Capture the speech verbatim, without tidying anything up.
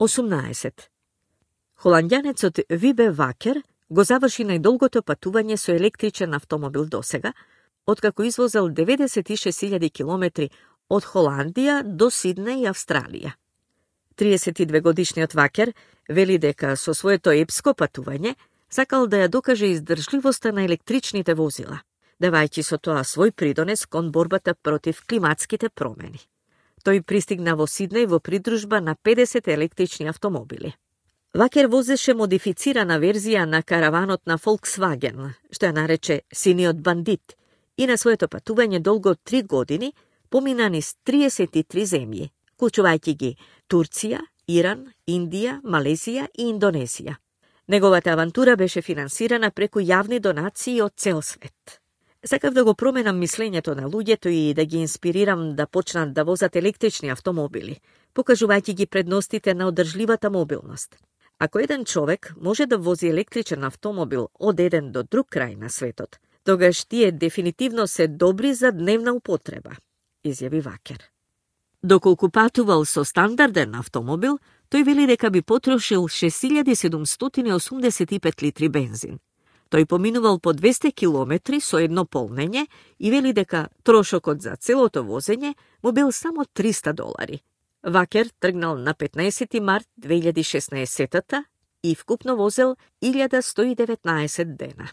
осумнаесет. Холандјанецот Вибе Вакер го заврши најдолгото патување со електричен автомобил досега, откако извозел деветдесет и шест илјади километри од Холандија до Сиднеј и Австралија. триесет и две годишниот Вакер вели дека со своето епско патување сакал да ја докаже издржливоста на електричните возила, давајќи со тоа свој придонес кон борбата против климатските промени. Тој пристигна во Сиднеј во придружба на педесет електрични автомобили. Вакер возеше модифицирана верзија на караванот на Volkswagen, што ја нарече синиот бандит, и на своето патување долго три години помина низ триесет и три земји, вклучувајќи ги Турција, Иран, Индија, Малезија и Индонезија. Неговата авантура беше финансирана преку јавни донации од цел свет. Сакав да го променам мислењето на луѓето и да ги инспирирам да почнат да возат електрични автомобили, покажувајќи ги предностите на одржливата мобилност. Ако еден човек може да вози електричен автомобил од еден до друг крај на светот, тогаш тие дефинитивно се добри за дневна употреба, изјави Вакер. Доколку патувал со стандарден автомобил, тој вели дека би потрошил шест илјади седумстотини и осумдесет и пет литри бензин. Тој поминувал по двесте километри со едно полнење и вели дека трошокот за целото возење му бил само триста долари. Вакер тргнал на петнаесети март две илјади и шеснаесетта и вкупно возел илјада сто и деветнаесет дена.